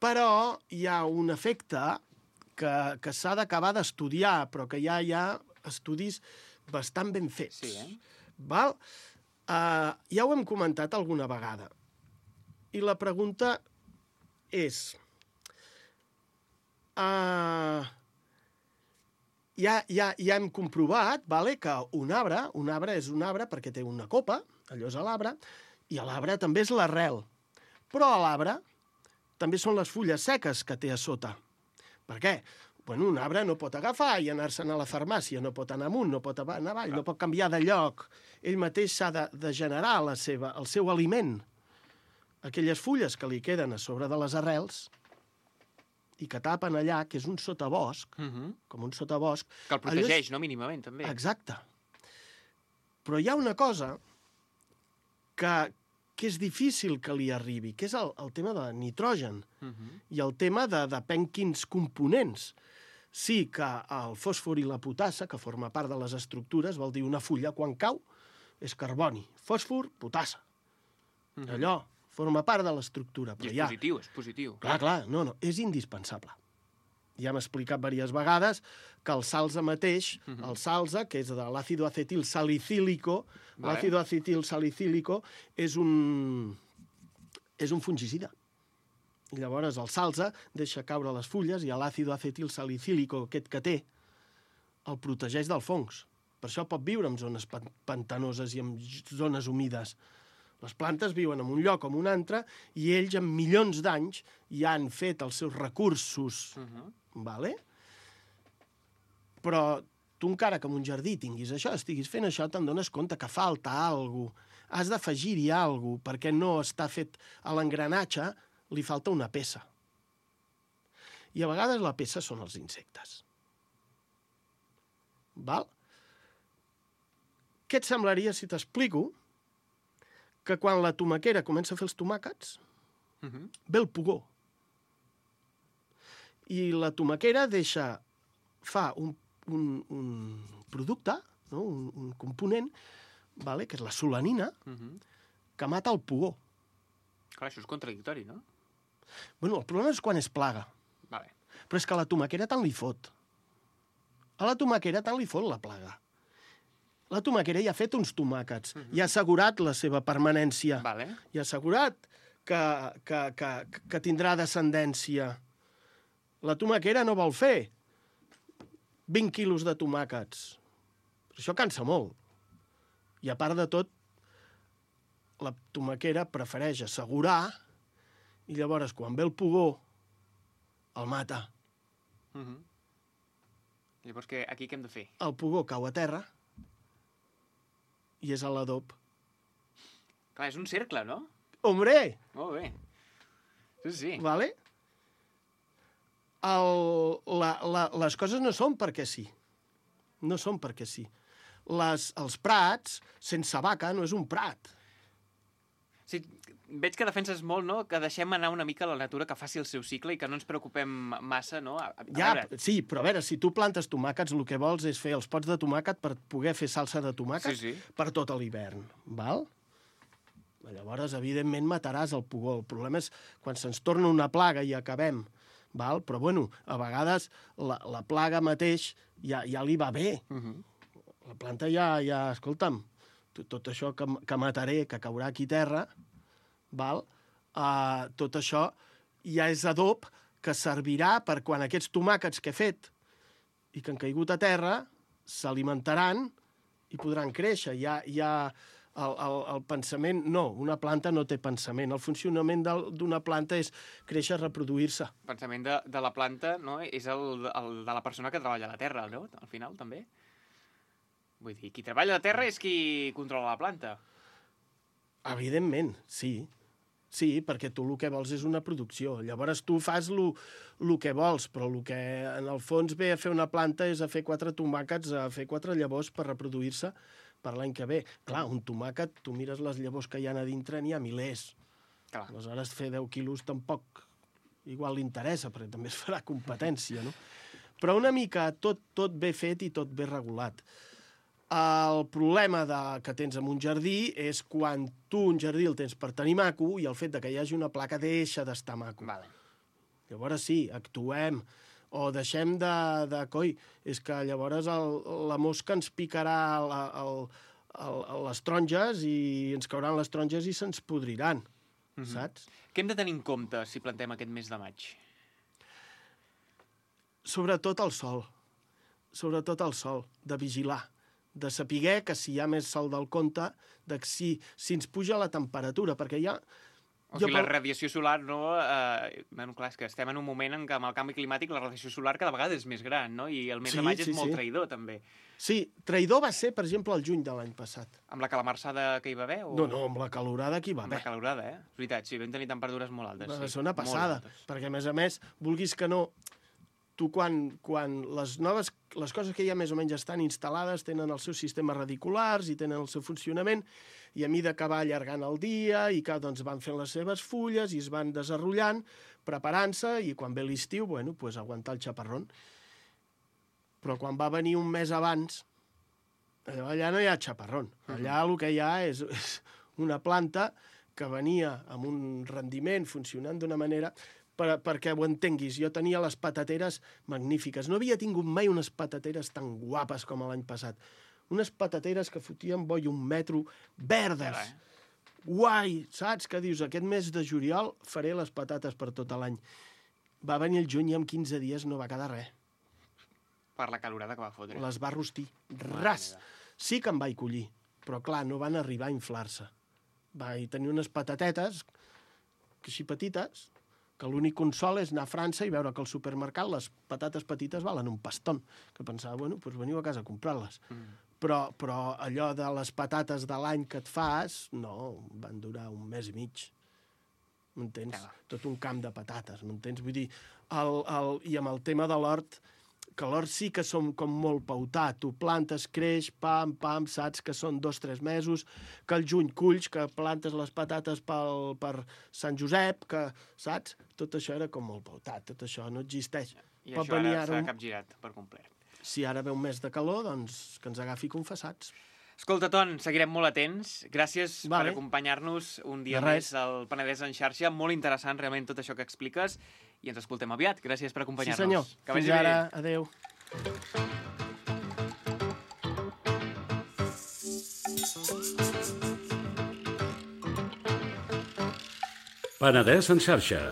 Però hi ha un efecte que, que s'ha d'acabar d'estudiar, però que ja hi ha estudis bastant ben fets. Sí, eh? Val? Uh, ja ho hem comentat alguna vegada. I la pregunta és... Uh, ja, ja, ja hem comprovat, vale, que un arbre, un arbre és un arbre perquè té una copa, allò és l'arbre, i l'arbre també és l'arrel. Però a l'arbre també són les fulles seques que té a sota. Per què? Bueno, un arbre no pot agafar i anar-se'n a la farmàcia, no pot anar amunt, no pot anar avall, no pot canviar de lloc. Ell mateix s'ha de, de generar la seva, el seu aliment. Aquelles fulles que li queden a sobre de les arrels i que tapen allà, que és un sotabosc, uh-huh. com un sotabosc... Que el protegeix, és... no? Mínimament, també. Exacte. Però hi ha una cosa que, que és difícil que li arribi, que és el, el tema de nitrogen uh-huh. i el tema de depèn quins components. Sí que el fòsfor i la potassa, que forma part de les estructures, vol dir una fulla, quan cau, és carboni. Fòsfor, potassa. Uh-huh. Allò... forma part de l'estructura. I és ja... positiu, és positiu. Clar, clar, no, no, és indispensable. Ja hem explicat diverses vegades que el salsa mateix, uh-huh. el salsa, que és de l'àcido acetil salicílico, vale. L'àcido acetil salicílico és un, és un fungicida. I llavors el salsa deixa caure les fulles i l'àcido acetil salicílico, aquest que té, el protegeix dels fongs. Per això pot viure en zones pantanoses i en zones humides. Les plantes viuen en un lloc o en un altre i ells, en milions d'anys, ja han fet els seus recursos. Uh-huh. Vale? Però tu encara que en un jardí tinguis això, estiguis fent això, te'n dones compte que falta alguna cosa. Has d'afegir-hi alguna cosa, perquè no està fet a l'engranatge, li falta una peça. I a vegades la peça són els insectes. Val? Què et semblaria si t'explico que quan la tomaquera comença a fer els tomàquets, uh-huh. ve el pugó. I la tomaquera deixa, fa un, un, un producte, no? un, un component, vale? Que és la solanina, uh-huh. que mata el pugó. Clar, això és contradictori, no? Bueno, el problema és quan és plaga. Vale. Però és que a la tomaquera tant li fot. A la tomaquera tant li fot la plaga. La tomaquera ja ha fet uns tomàquets, uh-huh. ja ha assegurat la seva permanència, vale. ja ha assegurat que, que, que, que tindrà descendència. La tomaquera no vol fer vint quilos de tomàquets. Això cansa molt. I a part de tot, la tomaquera prefereix assegurar i llavors, quan ve el pugó, el mata. Uh-huh. Llavors, que, aquí què hem de fer? El pugó cau a terra i és a l'adob. Clar, és un cercle, no? Hombre! Molt bé. Sí, sí. Vale? El, la, la, les coses no són perquè sí. No són perquè sí. Les, els prats, sense vaca, no és un prat. Sí, veig que defenses molt, no?, que deixem anar una mica la natura, que faci el seu cicle i que no ens preocupem massa, no? A, a ja, veure... sí, però a veure, si tu plantes tomàquets, el que vols és fer els pots de tomàquet per poder fer salsa de tomàquet sí, sí. per tot l'hivern, val? Llavors, evidentment, mataràs el pugó. El problema és quan se'ns torna una plaga i acabem, val? Però, bueno, a vegades la, la plaga mateix ja, ja li va bé. Uh-huh. La planta ja, ja escolta'm, tot això que, que mataré, que caurà aquí terra, val? Uh, tot això ja és adob que servirà per quan aquests tomàquets que he fet i que han caigut a terra s'alimentaran i podran créixer. Ja, ja el, el, el pensament... No, una planta no té pensament. El funcionament d'una planta és créixer, reproduir-se. El pensament de, de la planta, no?, és el, el de la persona que treballa a la terra, no?, al final, també. Vull dir, qui treballa a la terra és qui controla la planta. Evidentment, sí. Sí, perquè tu el que vols és una producció. Llavors tu fas el que vols, però el que en el fons ve a fer una planta és a fer quatre tomàquets, a fer quatre llavors per reproduir-se per l'any que ve. Clar, un tomàquet, tu mires les llavors que hi ha a dintre, n'hi ha milers. Clar. Aleshores, fer deu quilos tampoc igual li interessa, perquè també es farà competència, no? Però una mica tot, tot ben fet i tot ben regulat. El problema de, que tens en un jardí és quan tu un jardí el tens per tenir maco i el fet de que hi hagi una placa deixa d'estar maco. Vale. Llavors sí, actuem, o deixem de... de coi, és que llavors el, la mosca ens picarà la, el, el, les taronges i ens cauran les taronges i se'ns podriran, mm-hmm. saps? Què hem de tenir en compte si plantem aquest mes de maig? Sobretot el sol. Sobretot el sol, de vigilar. De saber que si hi ha més sol del compte, de si, si ens puja la temperatura, perquè ja... O sigui, la radiació solar, no... Eh, bueno, clar, és que estem en un moment en què amb el canvi climàtic la radiació solar cada vegada és més gran, no? I el mes sí, de maig sí, és molt sí. traïdor, també. Sí, traïdor va ser, per exemple, el juny de l'any passat. Amb la calamarsada que hi va haver? O... No, no, amb la calorada que hi va haver. Amb la calorada, eh? És veritat, sí, vam tenir temperatures molt altes. Va sí. ser una passada, perquè, a més a més, vulguis que no... Tu, quan, quan les noves... Les coses que ja més o menys estan instal·lades tenen els seus sistemes radiculars i tenen el seu funcionament, i a mida que va allargant el dia i que doncs, van fent les seves fulles i es van desenrotllant, preparant-se, i quan ve l'estiu, bueno, pues, aguantar el xaparrón. Però quan va venir un mes abans, allà no hi ha xaparrón. Allà el que hi ha és, és una planta que venia amb un rendiment funcionant d'una manera... Per, perquè ho entenguis, jo tenia les patateres magnífiques. No havia tingut mai unes patateres tan guapes com l'any passat. Unes patateres que fotien boi un metro, verdes. Eh? Guai, saps? Que dius, aquest mes de juliol faré les patates per tot l'any. Va venir el juny i en quinze dies no va quedar res. Per la calorada que va fotre. Les va rostir. Ras. Sí que em vaig collir, però clar, no van arribar a inflar-se. Vaig tenir unes patatetes, així petites, que l'únic consol és anar a França i veure que al supermercat les patates petites valen un paston, que pensava, bueno, doncs veniu a casa a comprar-les. Mm. Però, però allò de les patates de l'any que et fas, no, van durar un mes i mig. M'entens? Ja. Tot un camp de patates, m'entens? Vull dir, el, el, i amb el tema de l'hort, que l'hort sí que som com molt pautat. Tu plantes, creix, pam, pam, saps que són dos, tres mesos, que al juny culls, que plantes les patates pel, per Sant Josep, que, saps? Tot això era com molt pautat, tot això no existeix. I Pot això ara, ara s'ha un... capgirat per complet. Si ara ve un mes de calor, doncs que ens agafi confessats. Escolta, Ton, seguirem molt atents. Gràcies vale. per acompanyar-nos un dia més al Penedès en xarxa. Molt interessant, realment, tot això que expliques. i ens escoltem aviat. Gràcies per acompanyar-nos. Sí, senyor. Que vagi Fins ara. bé. Adéu. Penedès en xarxa.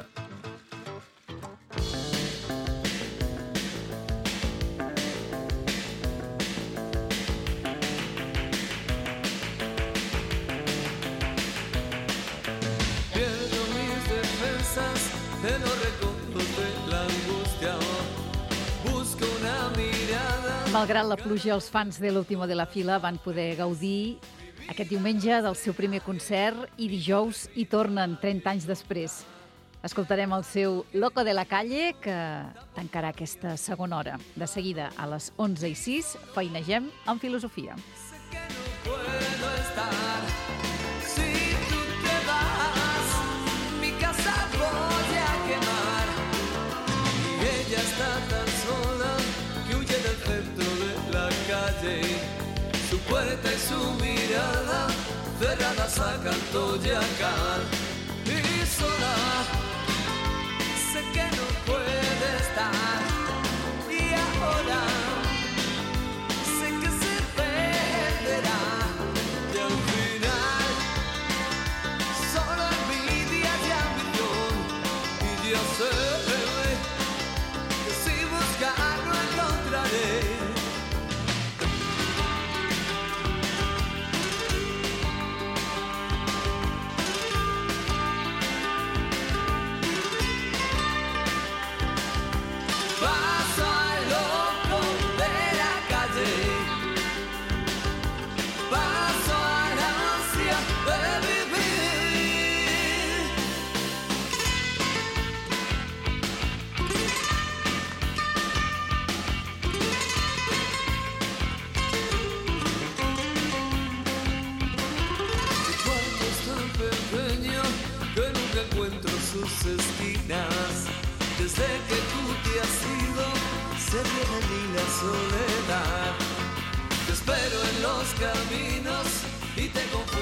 Malgrat la pluja, els fans de l'Último de la Fila van poder gaudir aquest diumenge del seu primer concert i dijous hi tornen trenta anys després. Escoltarem el seu Loco de la Calle, que tancarà aquesta segona hora. De seguida, a les onze i sis, feinegem amb filosofia. Su puerta y su mirada cerradas a canto y a cal. Y sola, sé que no puede estar. Y ahora, sé que se perderá. Y al final, solo envidia y ambición. Y yo sé que si buscar no encontraré. Sus esquinas, desde que tú te has ido, se viene en mí la soledad. Te espero en los caminos y te confundo.